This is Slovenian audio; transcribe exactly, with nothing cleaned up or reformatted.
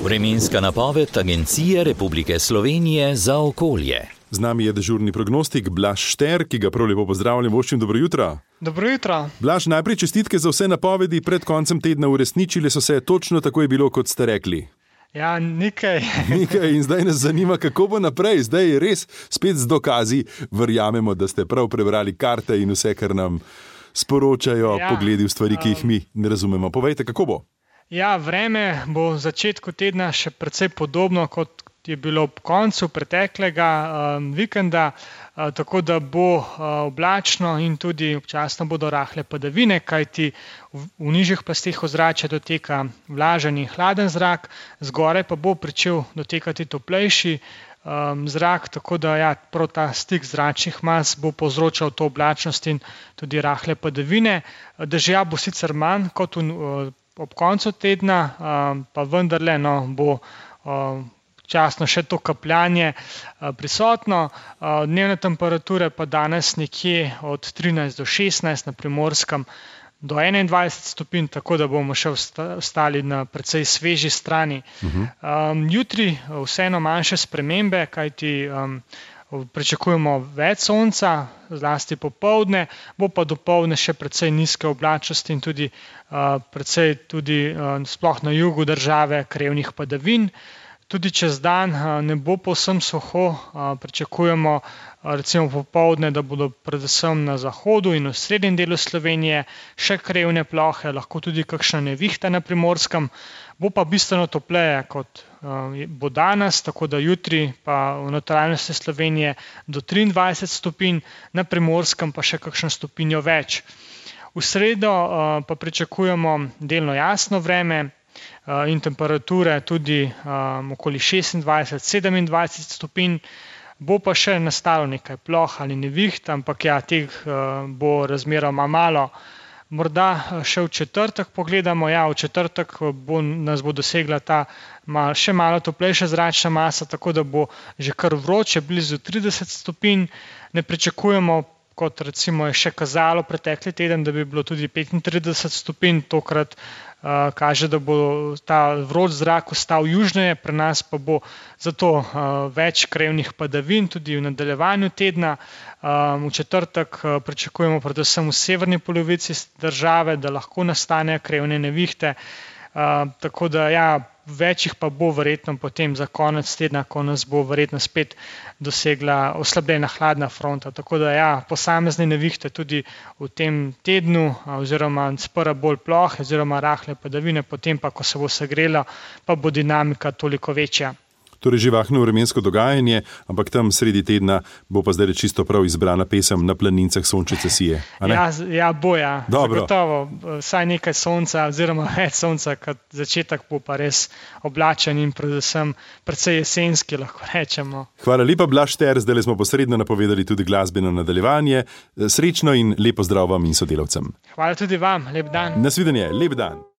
Vremenska napoved Agencije Republike Slovenije za okolje. Z nami je dežurni prognostik Blaž Šter, ki ga prav lepo pozdravljam. Voščim, dobro jutro. Dobro jutro. Blaž, najprej čestitke za vse napovedi pred koncem tedna, uresničile so se, točno tako je bilo, kot ste rekli. Ja, nekaj. Nekaj in zdaj nas zanima, kako bo naprej. Zdaj je res spet z dokazi. Verjamemo, da ste prav prebrali karte in vse, kar nam sporočajo, ja, pogledi v stvari, ki jih mi ne razumemo. Povejte, kako bo? Ja, vreme bo v začetku tedna še precej podobno, kot je bilo ob koncu preteklega um, vikenda, uh, tako da bo uh, oblačno in tudi občasno bodo rahle padavine, kajti v, v nižjih plasteh ozračja doteka vlažen in hladen zrak, zgoraj pa bo pričel dotekati toplejši um, zrak, tako da ja, prav ta stik zračnih mas bo povzročal to oblačnost in tudi rahle padavine. Dežja bo sicer manj kot v, uh, ob koncu tedna, um, pa vendarle no, bo um, časno še to kapljanje prisotno. Dnevne temperature pa danes nekje od trinajst do šestnajst, na Primorskem do enaindvajset stopinj, tako da bomo še ostali na precej sveži strani. Uh-huh. Um, jutri vseeno manjše spremembe, kajti um, pričakujemo več sonca, zlasti popoldne, bo pa dopoldne še precej nizke oblačnosti in tudi uh, precej tudi uh, sploh na jugu države krevnih padavin. Tudi čez dan ne bo povsem suho, pričakujemo recimo popoldne, da bodo predvsem na zahodu in v srednjem delu Slovenije še krevne plohe, lahko tudi kakšna nevihta na Primorskem, bo pa bistveno topleje kot bo danes, tako da jutri pa v notranjosti Slovenije do triindvajset stopinj, na Primorskem pa še kakšno stopinjo več. V sredo pa pričakujemo delno jasno vreme, in temperature tudi um, okoli šestindvajset sedemindvajset stopinj, bo pa še nastalo nekaj ploh ali neviht, ampak ja, teh uh, bo razmeroma malo. Morda še v četrtek pogledamo, ja, v četrtek bo, nas bo dosegla ta mal, še malo toplejša zračna masa, tako da bo že kar vroče, blizu trideset stopinj. Ne pričakujemo, kot recimo je še kazalo pretekli teden, da bi bilo tudi petintrideset stopinj, tokrat uh, kaže, da bo ta vroč zrak ostal južneje, pri nas pa bo zato uh, več krevnih padavin tudi v nadaljevanju tedna. Um, v četrtek uh, pričakujemo predvsem v severni polovici države, da lahko nastanejo krevne nevihte, uh, tako da ja, večjih pa bo verjetno potem za konec tedna, ko nas bo verjetno spet dosegla oslabljena hladna fronta. Tako da ja, posamezne nevihte tudi v tem tednu, oziroma sprva bolj plohe, oziroma rahle padavine, potem pa, ko se bo segrelo, pa bo dinamika toliko večja. Torej živahno vremensko dogajanje, ampak tam sredi tedna bo pa zdaj čisto prav izbrana pesem Na planincah sončice sije. Ja, ja, bo ja. Zagotovo. Vsaj nekaj sonca oziroma več sonca, kot začetek bo pa res oblačen in predvsem precej jesenski, lahko rečemo. Hvala lepa, Blaž Šter, zdaj smo posredno napovedali tudi glasbeno nadaljevanje. Srečno in lepo zdrav vam in sodelavcem. Hvala tudi vam, lep dan. Nasvidenje, lep dan.